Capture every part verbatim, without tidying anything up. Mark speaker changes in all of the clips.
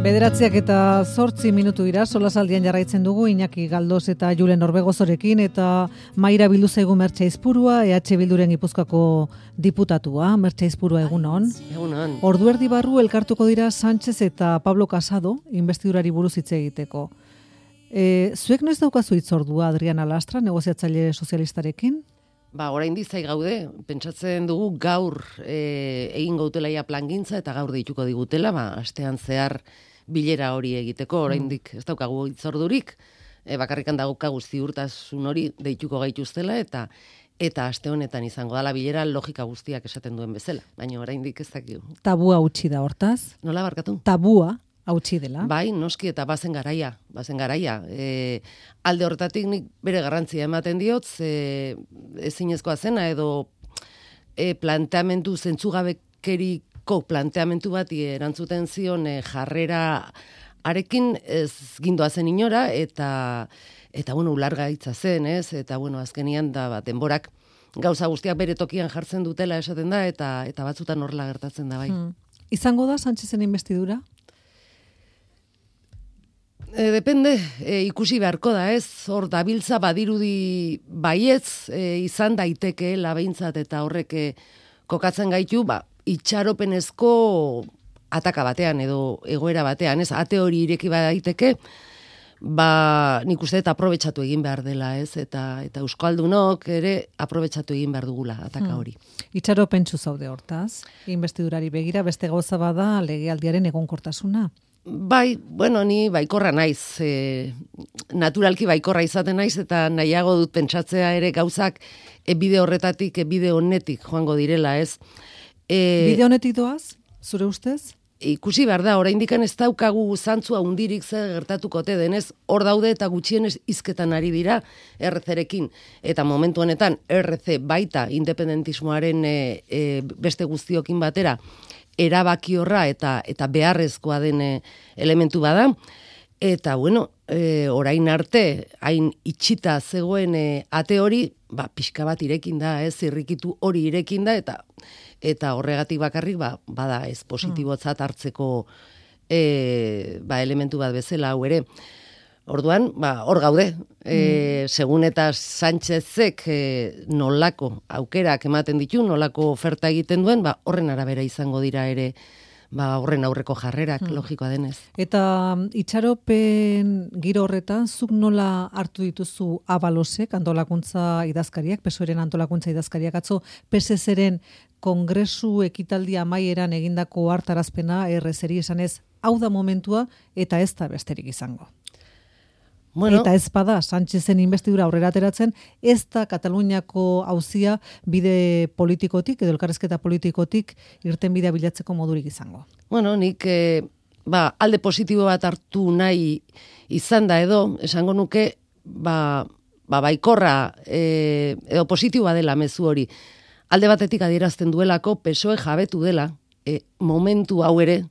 Speaker 1: Bederatziak eta zortzi minutu dira, solasaldian jarraitzen dugu Iñaki Galdos eta Julen Orbegozorekin eta Maira Bilduzaigu Mertxe Aizpurua, E H Bilduren Gipuzkoako diputatua. Mertxe Aizpurua, egunon.
Speaker 2: Egunon.
Speaker 1: Ordu erdi barru elkartuko dira Sánchez eta Pablo Casado, inbestidurari buruz hitz egiteko. E, zuek noiz daukazu hitzordua Adriana Lastra, negoziatzaile sozialistarekin?
Speaker 2: Ba, orain dizai gaude, pentsatzen dugu gaur e, egin gautela ja plangintza eta gaur deituko digutela, ba, astean zehar bilera hori egiteko, oraindik ez daukagu hitzordurik, e, bakarrikan daukagu ziurtasun hori deituko gaituztela eta eta aste honetan izango dala bilera logika guztiak esaten duen bezala, baina oraindik ez dakigu.
Speaker 1: Tabua utzi da hortaz?
Speaker 2: Nola barkatu?
Speaker 1: Tabua hautsi dela.
Speaker 2: Bai, noski eta bazen garaia, bazen garaia. E, alde horretatik nik bere garrantzia ematen diot, e, ezinezkoa zena edo e, planteamendu zentzugabekeriko planteamendu bati erantzuten zion e, jarrera arekin ez gindoa zen inora eta eta bueno, ulargaitza zen, ez? Eta bueno, azkenian da bat denborak gauza guztiak bere tokian jartzen dutela esaten da eta eta batzutan horrela gertatzen da bai.
Speaker 1: Hmm. Izango da Sánchezen inbestidura?
Speaker 2: E, depende, e, ikusi beharko da, ez? Hor dabiltza badirudi baietz e, izan daiteke labeintzat eta horrek e, kokatzen gaitu, ba, itxaropenezko ataka batean edo egoera batean, ez? Ate hori ireki daiteke, ba, nik uste eta aprobetxatu egin behar dela, ez? Eta eta euskaldunok ere aprobetxatu egin behar dugula ataka hori.
Speaker 1: Hmm. Itxaropentsu zaude hortaz, inbestidurari begira, beste gauza bada legealdiaren egonkortasuna.
Speaker 2: Bai, bueno, ni baikorra naiz, e, naturalki baikorra izaten naiz, eta nahiago dut pentsatzea ere gauzak e, bide horretatik, e, bide honetik joango direla, ez? E,
Speaker 1: bide honetik doaz, zure ustez?
Speaker 2: Ikusi behar da, oraindik ez daukagu zantzua hundirik zer gertatukote denez, hor daude eta gutxienez hizketan ari dira R C-rekin. Eta momentu honetan R C baita independentismoaren e, e, beste guztiokin batera, erabaki horra eta eta beharrezkoa den elementu bada. Eta, bueno, e, orain arte, hain itxita zegoen e, ate hori, ba, pixka bat irekin da, ez, zirrikitu hori irekin da, eta eta horregatik bakarrik, ba, bada ez positibotzat hartzeko e, ba, elementu bat bezala hau ere. Orduan, ba, hor gaude, e, segun eta Sánchezek e, nolako aukerak ematen ditu, nolako oferta egiten duen, ba, horren arabera izango dira ere, ba, horren aurreko jarrerak, logikoa denez.
Speaker 1: Eta itxaropen giro horretan, zuk nola hartu dituzu Abalosek, antolakuntza idazkariak, P S O E-ren antolakuntza idazkariak, atzo P S Z-ren kongresu ekitaldi amaieran egindako hartarazpena R C-ri esanez, hau da momentua eta ez da besterik izango. Bueno, eta ez bada, Sánchezen inbestidura aurrera ateratzen, ez da Kataluniako auzia bide politikotik, edo elkarrezketa politikotik, irten bidea bilatzeko modurik izango.
Speaker 2: Bueno, nik e, ba, alde positibo bat hartu nahi izan da edo, esango nuke, ba, ba baikorra e, edo positiboa dela mezu hori. Alde batetik adierazten duelako, P S O E jabetu dela, e, momentu hau ere,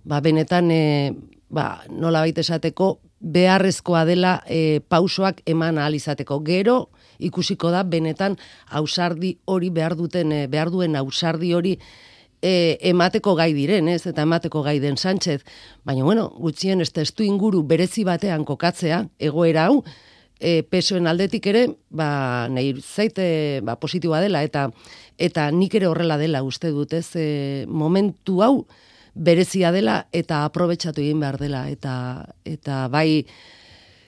Speaker 2: ba, benetan, e, ba, nola baita esateko, beharrezkoa dela e, pausoak eman ahal izateko. Gero ikusiko da benetan ausardi hori behar duten, e, behar duen ausardi hori e, emateko gai diren, ez? Eta emateko gai den Sánchez. Baina, bueno, gutxien ez testu inguru berezi batean kokatzea, egoera hau, e, P S O-en aldetik ere, ba, nahi zaite ba, positiboa dela, eta eta nik ere horrela dela uste dut, ez? E, momentu hau, berezia dela eta aprobetxatu egin behar dela eta eta bai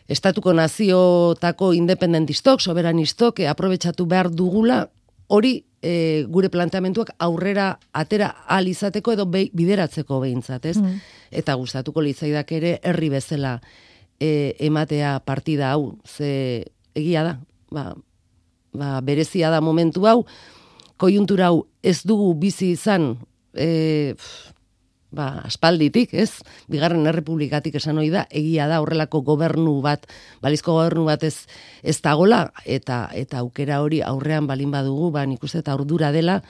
Speaker 2: estatuko naziotako independentistok, soberanistok e, aprobetxatu behar dugula hori e, gure planteamentuak aurrera atera ahal izateko edo be, bideratzeko behintzat, ez? Mm. Eta gustatuko litzaidak ere herri bezala e, ematea partida hau, ze egia da, ba, ba, berezia da momentu hau, koiuntura hau ez dugu bizi izan e, ba, aspalditik, ez? Bigarren errepublikatik esan hori da, egia da horrelako gobernu bat, balizko gobernu bat ez, ez dagola, eta eta aukera hori aurrean balin badugu, ba, nik uste eta ardura dela,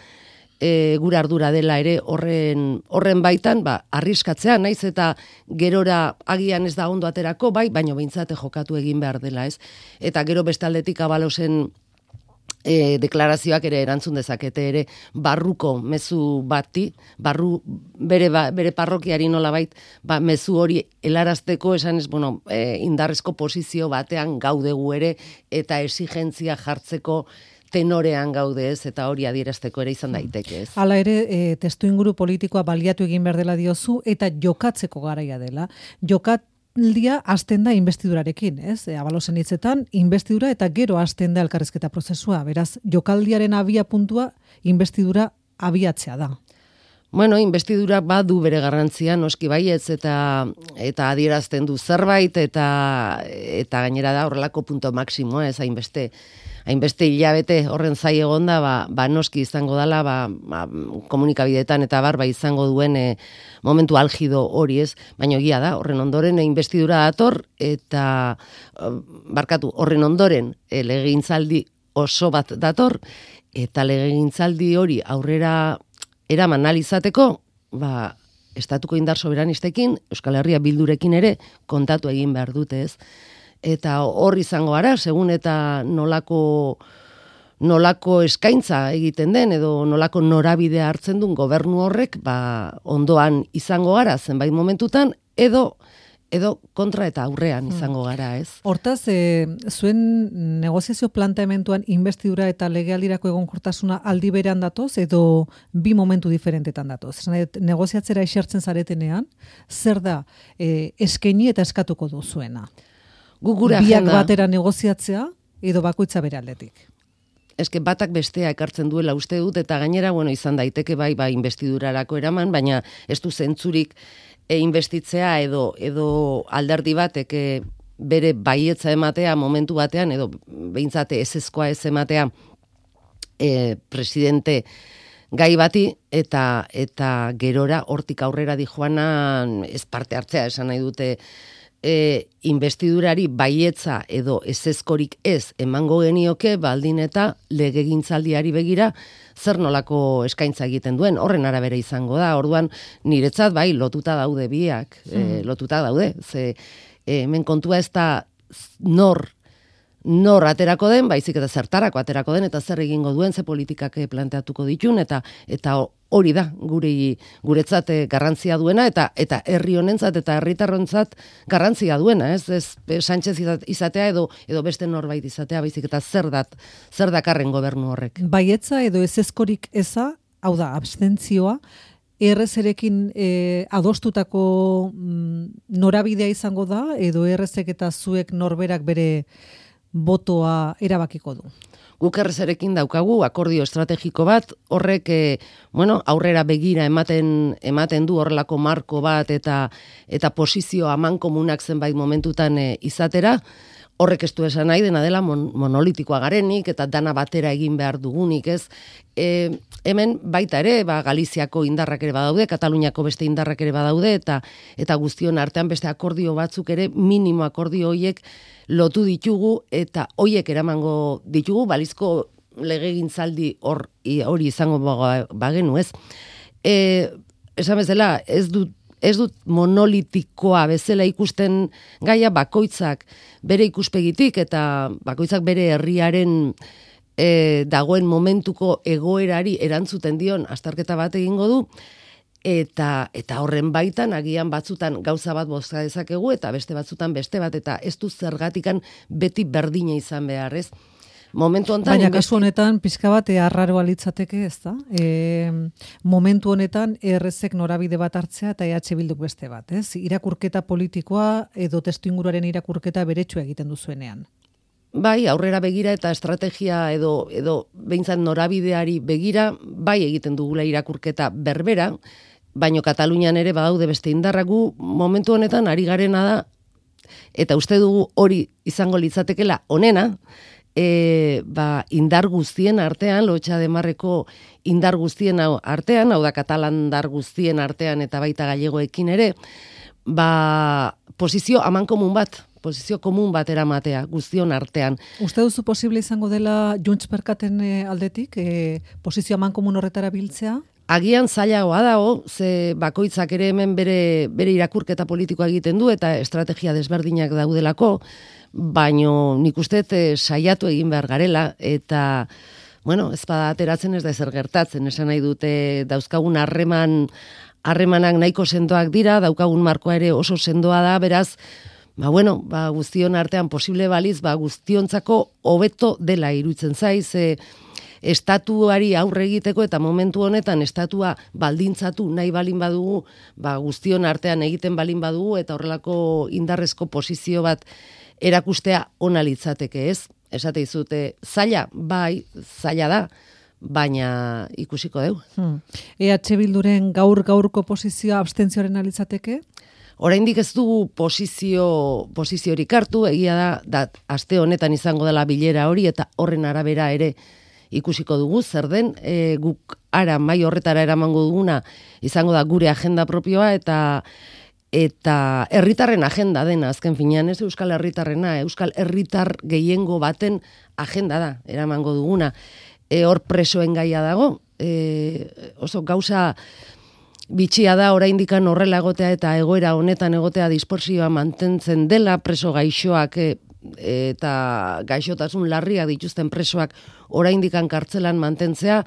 Speaker 2: e, gure ardura dela ere horren, horren baitan, ba, arriskatzea, naiz eta gerora agian ez da ondo aterako, bai, baino behintzate jokatu egin behar dela, ez? Eta gero bestaldetik Abalosen E, deklarazioak ere erantzun dezakete ere barruko mezu bati, barru bere, ba, bere parrokiari nolabait, ba, mezu hori helarazteko esanez, bueno, e, indarrezko posizio batean gaudegu ere eta exigentzia jartzeko tenorean gaude ez, eta hori adierazteko ere izan daiteke ez.
Speaker 1: Hala ere, e, testu inguru politikoa baliatu egin behar dela diozu, eta jokatzeko garaia dela. Jokat Aldia hasten da investidurarekin, ez? E, Abalosen hitzetan, investidura eta gero hasten da elkarrizketa prozesua. Beraz, jokaldiaren abia puntua investidura abiatzea da.
Speaker 2: Bueno, investidura badu bere garrantzia, noski baietz, eta eta adierazten du zerbait, eta eta gainera da horrelako punto maksimoa, ez hainbeste hainbeste hilabete horren zai egonda, ba, ba noski izango dela, ba, ba, komunikabideetan eta bar, ba izango duen e, momentu algido hori ez, baina egia da, horren ondoren e, investidura dator, eta barkatu, horren ondoren e, legegintzaldi oso bat dator, eta legegintzaldi hori aurrera eraman analizateko, ba, estatuko indar soberanistekin, Euskal Herria Bildurekin ere, kontatu egin behar dute ez, eta hor izango gara, segun eta nolako, nolako eskaintza egiten den, edo nolako norabidea hartzen duen gobernu horrek, ba, ondoan izango gara zenbait momentutan, edo edo kontra eta aurrean izango gara, ez?
Speaker 1: Hortaz, e, zuen negoziazio planteamentuan investidura eta legealdirako egonkortasuna aldi berean datoz, edo bi momentu diferentetan datoz. Negoziatzera esertzen zaretenean, zer da e, eskaini eta eskatuko duzuena? Biak batera negoziatzea, edo bakoitza bere aldetik?
Speaker 2: Eske batak bestea ekartzen duela uste dut, eta gainera, bueno, izan daiteke bai, bai investidurarako eraman, baina ez du zentzurik e investitzea edo edo alderdi batek e, bere baietza ematea momentu batean, edo behintzate ezezkoa ez ematea e, presidente gai bati, eta eta gerora hortik aurrera dijoanan ez parte hartzea, esan nahi dute e, investidurari baietza edo ezezkorik ez emango genioke, baldin eta legegintzaldiari begira zer nolako eskaintza egiten duen, horren arabera izango da. Orduan niretzat bai lotuta daude biak, mm. e, lotuta daude. Ze e, hemen kontua ez da nor nor aterako den, baizik eta zertarako aterako den, eta zer egingo duen, ze politikak planteatuko ditun, eta eta hori da gure guretzat garrantzia duena, eta eta herri honentzat eta herritarrontzat garrantzia duena, ez? Ez Sánchez izatea edo edo beste norbait izatea, baizik eta zer dat zer dakarren gobernu horrek.
Speaker 1: Baietza edo ezezkorik eza, hau da, abstentzioa, errezerekin e, adostutako mm, norabidea izango da, edo errezek eta zuek norberak bere botoa erabakiko du?
Speaker 2: Guk errezerekin daukagu akordio estrategiko bat, horrek e, bueno, aurrera begira ematen ematen du horrelako marko bat eta eta posizio amankomunak zenbait momentutan e, izatera. Horrek ez du esan nahi dena dela mon, monolitikoa garenik eta dana batera egin behar dugunik, ez? E, hemen baita ere, ba, Galiziako indarrak ere badaude, Kataluniako beste indarrak ere badaude, eta eta guztion artean beste akordio batzuk ere, minimo akordio hoiek lotu ditugu, eta hoiek eramango ditugu, balizko legegintzaldi hor, hori izango bagenu, ez? E, esan bezala, ez dut Ez dut monolitikoa bezala ikusten gaia, bakoitzak bere ikuspegitik eta bakoitzak bere herriaren e, dagoen momentuko egoerari erantzuten dion azterketa bat egingo du, eta eta horren baitan agian batzutan gauza bat bozka dezakegu eta beste batzutan beste bat, eta ez du zergatikan beti berdina izan behar, ez? Momentu honetan,
Speaker 1: baina kasu honetan pizka bat arraroa litzateke, ez da? E, momentu honetan errezek norabide bat hartzea eta E H Bilduk beste bat, ez? Irakurketa politikoa edo testuinguruaren irakurketa beretsua egiten duzuenean.
Speaker 2: Bai, aurrera begira eta estrategia edo edo behintzat norabideari begira, bai egiten dugula irakurketa berbera, baino Katalunian ere badaude beste indarraku, momentu honetan ari garena da, eta uste dugu hori izango litzatekela onena, E, ba, indar guztien artean, Lotxa de Marreko indar guztien artean, hau da katalan indar guztien artean eta baita gallegoekin ere, ba, posizio amankomun bat, posizio komun bat eramatea guztion artean.
Speaker 1: Uste duzu posible izango dela Junts Perkaten aldetik, e, posizio amankomun horretara biltzea?
Speaker 2: Agian zailagoa dago, ze bakoitzak ere hemen bere, bere irakurketa politikoa egiten du eta estrategia desberdinak daudelako, baino nik uste e, saiatu egin behar garela, eta, bueno, ez bada ateratzen ez da ezer gertatzen, esan nahi dute dauzkagun harreman, harremanak nahiko sendoak dira, daukagun markoa ere oso sendoa da, beraz, ba, bueno, ba, guztion artean posible baliz, ba, guztiontzako hobeto dela iruditzen zaiz, e, estatuari aurre egiteko eta momentu honetan estatua baldintzatu nahi balin badugu, ba, guztion artean egiten balin badugu eta horrelako indarrezko posizio bat erakustea ona litzateke, ez? Esate dizute, zaila, bai, zaila da, baina ikusiko deu.
Speaker 1: Hmm. E H Bilduren gaur-gaurko posizioa abstentzioaren alitzateke?
Speaker 2: Oraindik ez dugu posizio, posiziorik hartu, egia da, da, aste honetan izango dela bilera hori, eta horren arabera ere ikusiko dugu, zer den, e, guk ara mai horretara eramango duguna, izango da gure agenda propioa, eta eta herritarren agenda dena, azken finean, ez Euskal Herritarrena, Euskal Herritar gehiengo baten agenda da, eramango duguna. E, hor presoen gaia dago, e, oso gauza bitxia da oraindikan horrela egotea eta egoera honetan egotea dispersioa mantentzen dela, preso gaixoak e, eta gaixotasun larriak dituzten presoak oraindikan kartzelan mantentzea,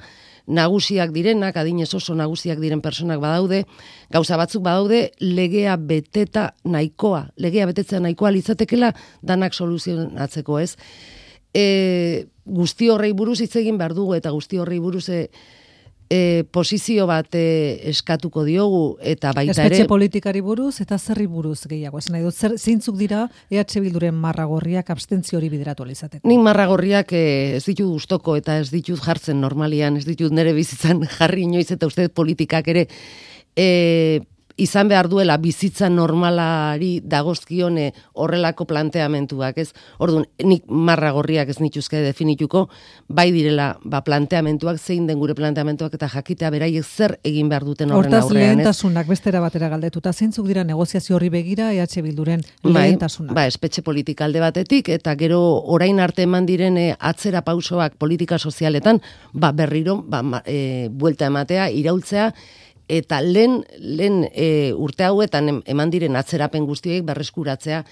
Speaker 2: nagusiak direnak, adinez oso nagusiak diren personak badaude, gauza batzuk badaude, legea beteta nahikoa, legea betetzea nahikoa litzatekela danak soluzionatzeko, ez? E, guzti horrei buruz hitz egin behar dugu, eta guzti horrei buruz e, e, posizio bat e, eskatuko diogu, eta baita ere...
Speaker 1: Espetxe politikari buruz eta zerri buruz gehiago. Esan nahi dut, zer, zeintzuk dira E H Bilduren marragorriak abstentzio hori bideratu alizateko?
Speaker 2: Nik marragorriak e, ez ditut gustoko eta ez ditut jartzen normalian, ez ditut nire bizitzan jarri inoiz, eta uste politikak ere e, izan behar duela bizitza normalari dagozkione horrelako planteamentuak, ez? Orduan, nik marragorriak ez nituzke definituko, bai direla ba, planteamentuak, zein den gure planteamentuak eta jakitea beraiek zer egin behar duten horren
Speaker 1: Hortaz,
Speaker 2: aurrean, ez?
Speaker 1: Hortaz lehentasunak bestera batera galdetuta, zeintzuk dira negoziazio horri begira E H Bilduren lehentasunak?
Speaker 2: Bai, ba, espetxe politika alde batetik, eta gero orain arte eman diren e, atzera pausoak politika sozialetan, ba, berriro, ba, e, buelta ematea, iraultzea, eta lehen, lehen e, urte hauetan eman diren atzerapen guztiek berreskuratzea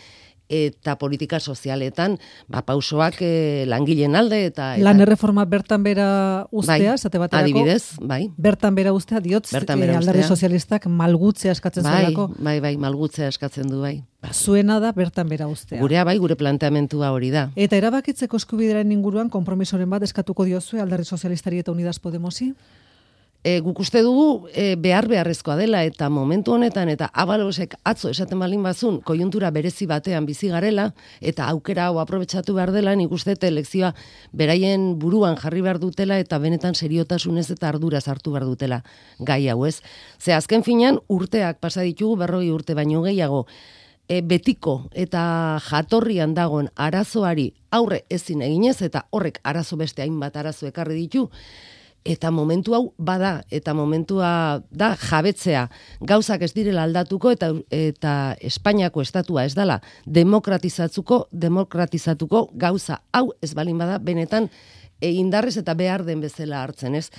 Speaker 2: eta politika sozialetan ba, pausoak e, langileen alde. Eta, eta
Speaker 1: Lan erreforma bertan bera ustea,
Speaker 2: bai,
Speaker 1: esate baterako,
Speaker 2: adibidez, bai.
Speaker 1: Bertan bera ustea, diotz,
Speaker 2: Bertan bera
Speaker 1: e, alderdi
Speaker 2: ustea.
Speaker 1: sozialistak malgutzea eskatzen
Speaker 2: bai,
Speaker 1: zuelako.
Speaker 2: Bai, bai, malgutzea eskatzen du, bai.
Speaker 1: Zuena da bertan bera ustea.
Speaker 2: Gurea bai, gure planteamentua hori da.
Speaker 1: Eta erabakitzeko eskubidearen inguruan konpromisoren bat eskatuko diozue alderdi sozialistari eta Unidas Podemosi?
Speaker 2: E, guk uste dugu e, behar beharrezkoa dela, eta momentu honetan, eta abalosek atzo esaten balin bazun, koiuntura berezi batean bizi garela, eta aukera hau aprobetxatu behar dela, nik uste elekzioa beraien buruan jarri behar dutela, eta benetan seriotasunez eta arduraz hartu behar dutela gai hau, ez? Ze azken finean urteak pasa ditugu, berroi urte baino gehiago, e, betiko eta jatorrian dagoen arazoari aurre ezin eginez, eta horrek arazo beste hainbat arazo ekarri ditu, eta momentu hau bada, eta momentua da jabetzea, gauzak ez direla aldatuko, eta eta Espainiako estatua ez dela demokratizatzuko, demokratizatuko gauza hau ez balin bada benetan e, indarrez eta behar den bezala hartzen, ez?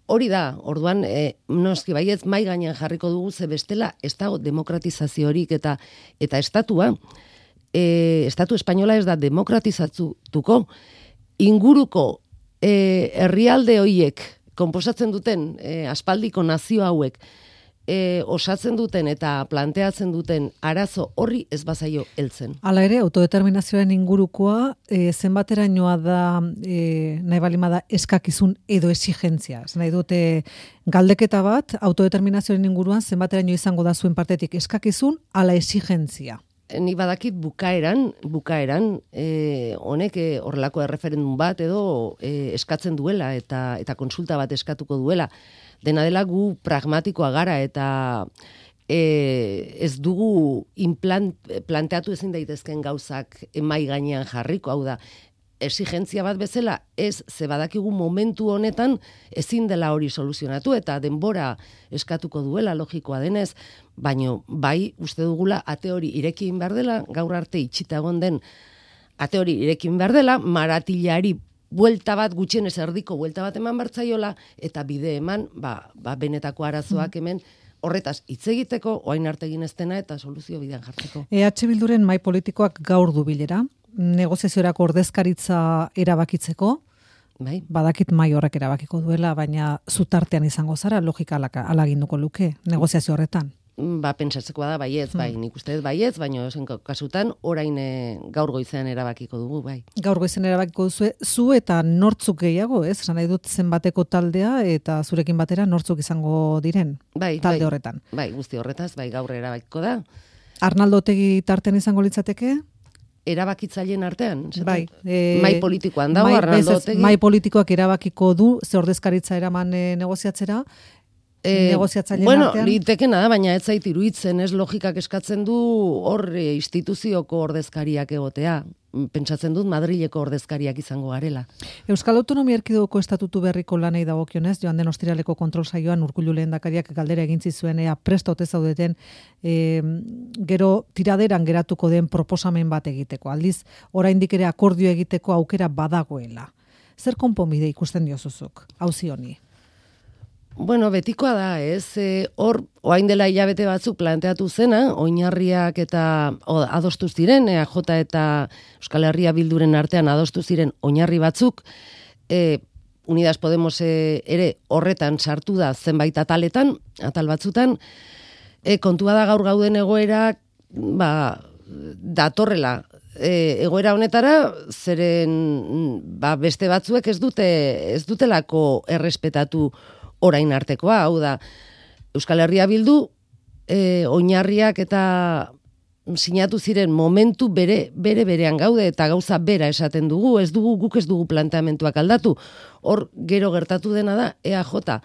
Speaker 2: Hori da, orduan, e, noski baietz mai gainean jarriko dugu, ze bestela ez dago demokratizaziorik, eta eta estatua, e, estatu espainola ez da demokratizatuko, inguruko e, herrialde hoiek konposatzen duten e, aspaldiko nazio hauek e, osatzen duten eta planteatzen duten arazo horri ez bazaio heltzen.
Speaker 1: Hala ere, autodeterminazioaren ingurukoa e, zenbaterainoa da e, nahi balimada eskakizun edo exigentzia. Ez nahi dute galdeketa bat, autodeterminazioaren inguruan zenbateraino izango da zuen partetik eskakizun ala exigentzia.
Speaker 2: Ni badakit bukaeran, bukaeran, e, honek e, horrelako erreferendum bat edo e, eskatzen duela eta eta konsulta bat eskatuko duela. Dena dela gu pragmatikoa gara eta e, ez dugu implant, planteatu ezin daitezken gauzak emai gainean jarriko, hau da, exigentzia bat bezala, ez ze badakigu momentu honetan ezin dela hori soluzionatu eta denbora eskatuko duela logikoa denez, baino bai uste dugula ate hori irekin behar dela, gaur arte itxita egon den ate hori irekin behar dela, maratilari buelta bat, gutxienez erdiko buelta bat eman bertzaiola, eta bide eman, ba, ba benetako arazoak hemen, horretaz hitz egiteko, orain arte egin ez dena eta soluzio bidean jartzeko.
Speaker 1: E H Bilduren mai politikoak gaur du bilera, negoziaziorako ordezkaritza erabakitzeko,
Speaker 2: bai.
Speaker 1: Badakit mai horrek erabakiko duela, baina zutartean izango zara, logika alaginduko luke, negoziazio horretan.
Speaker 2: Ba, pentsatzekoa da, baietz, bai, nik uste dut baietz, baina zen kasutan, orain e, gaur goizean erabakiko dugu, bai.
Speaker 1: Gaur goizean erabakiko duzu, zu eta nortzuk gehiago, ez? Esan nahi dut zenbateko taldea eta zurekin batera nortzuk izango diren
Speaker 2: bai,
Speaker 1: talde
Speaker 2: bai,
Speaker 1: horretan.
Speaker 2: Bai, guzti horretaz, bai, gaur erabakiko da.
Speaker 1: Arnaldo Otegi tartean izango litzateke?
Speaker 2: Erabakitzaileen artean?
Speaker 1: Bai.
Speaker 2: E, mai politikoan dago, mai, Arnaldo Otegi?
Speaker 1: Mai politikoak erabakiko du, ze ordezkaritza eraman e, negoziatzera,
Speaker 2: E,
Speaker 1: negoziatzaileen
Speaker 2: bueno,
Speaker 1: artean?
Speaker 2: litekena da, baina ez zait iruditzen, ez logikak eskatzen du hor e, instituzioko ordezkariak egotea. Pentsatzen dut Madrileko ordezkariak izango garela.
Speaker 1: Euskal Autonomia Erkidegoko estatutu berriko lanei dagokionez, joan den ostiraleko kontrol saioan Urkullu lehendakariak galdera egin zizuen ea prest ote zaudeten e, gero tiraderan geratuko den proposamen bat egiteko. Aldiz, oraindik ere akordio egiteko aukera badagoela. Zer konponbide ikusten diozuzuk, auzi honi?
Speaker 2: Bueno, betikoa da, ez? E, hor, oain dela hilabete batzuk planteatu zena, oinarriak eta o, adostu ziren, E A J eta Euskal Herria Bilduren artean adostu ziren oinarri batzuk, e, Unidas Podemos e, ere horretan sartu da zenbait ataletan, atal batzutan, e, kontua da gaur gauden egoerak, ba, datorrela, e, egoera honetara, zeren ba, beste batzuek ez dute ez dutelako errespetatu orain artekoa, hau da, Euskal Herria Bildu e, oinarriak eta sinatu ziren momentu bere bere berean gaude eta gauza bera esaten dugu, ez dugu guk ez dugu planteamentuak aldatu. Hor gero gertatu dena da E A J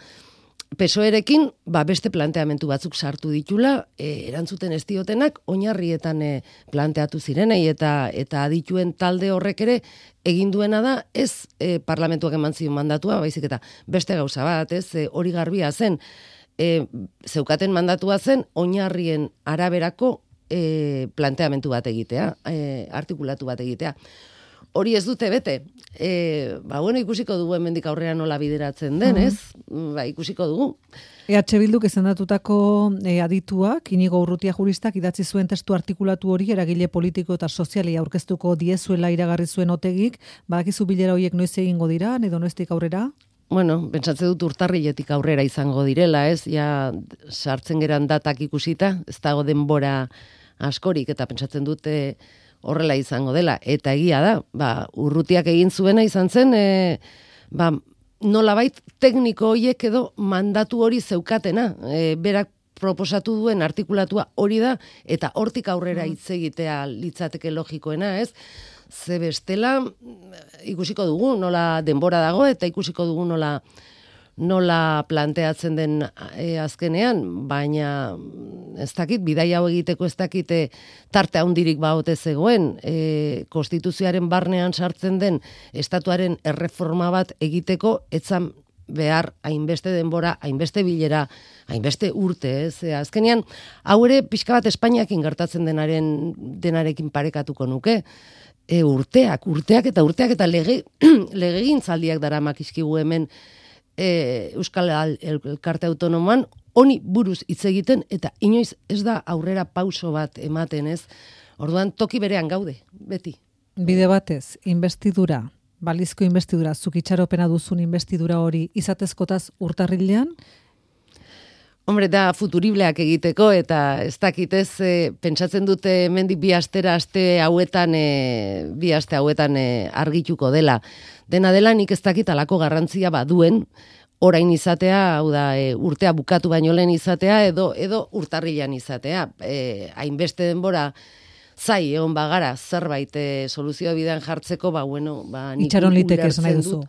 Speaker 2: P S O E-rekin ba, beste planteamentu batzuk sartu ditula, e, erantzuten ez diotenak oinarrietan e, planteatu zirenei eta eta adituen talde horrek ere egin duena da ez e, parlamentuak eman zion mandatua, baizik eta beste gauza bat, ez e, hori garbia zen, e, zeukaten mandatua zen oinarrien araberako e, planteamentu bat egitea, e, artikulatu bat egitea. Hori ez dute bete. E, ba, bueno, ikusiko dugu hemendik aurrera nola bideratzen den, ez? Ba, ikusiko dugu.
Speaker 1: E H Bilduk izendatutako e, adituak, Inigo Urrutia juristak idatzi zuen testu artikulatu hori eragile politiko eta soziali aurkeztuko diezuela iragarri zuen Otegik, badakizu bilera horiek noiz egingo dira, edo noiztik aurrera?
Speaker 2: Bueno, pentsatze dut urtarriletik aurrera izango direla, ez? Ja, sartzen geran datak ikusita, ez dago denbora askorik, eta pentsatzen dute horrela izango dela, eta egia da, ba, Urrutiak egin zuena izan zen, e, ba, nolabait tekniko horiek edo mandatu hori zeukatena, e, berak proposatu duen artikulatua hori da, eta hortik aurrera hitz egitea litzateke logikoena, ez? Ze bestela ikusiko dugu nola denbora dago, eta ikusiko dugu nola nola planteatzen den e, azkenean, baina ez dakit, bidai hau egiteko ez dakit e, tarte handirik baote zegoen, e, konstituzioaren barnean sartzen den estatuaren erreforma bat egiteko, etzan behar hainbeste denbora, hainbeste bilera, hainbeste urte, ez? E, azkenean, hau ere pixka bat Espainiakin gertatzen denaren denarekin parekatuko nuke, e, urteak, urteak eta urteak eta lege, legegintzaldiak daramak izkigu hemen E, Euskal Elkarte Autonomoan honi buruz hitz egiten eta inoiz ez da aurrera pauso bat ematen, ez? Orduan toki berean gaude, beti.
Speaker 1: Bide batez, investidura, balizko investidura, zuk itxaropena duzun investidura hori izatezkotaz urtarrilean?
Speaker 2: Hombre, da futuribleak egiteko eta ez dakitez, e, pentsatzen dute hemendik bi astera aste hauetan, e, bi aste hauetan e, argituko dela. Dena dela nik ez dakit alako garrantzia baduen, orain izatea, hau da, e, urtea bukatu baino lehen izatea, edo edo urtarrilean izatea. E, hainbeste denbora zai egon bagara zerbait e, soluzio bidean jartzeko, ba, bueno, ba, nik
Speaker 1: itxaron liteke esan nahi duzu.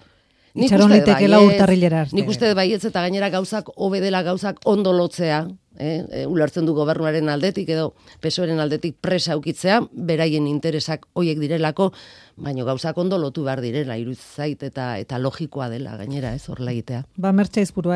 Speaker 2: Nik
Speaker 1: Itxaron litekela urtarrilera arte.
Speaker 2: Nik uste baietz eta gainera gauzak hobe dela gauzak ondo lotzea, eh? E, ulertzen du gobernuaren aldetik edo P S O E-ren aldetik presa ukitzea, beraien interesak hoiek direlako, baino gauzak ondo lotu behar direla, iruditzen zait eta eta logikoa dela gainera, ez horrela egitea.
Speaker 1: Ba, Mertxe Aizpurua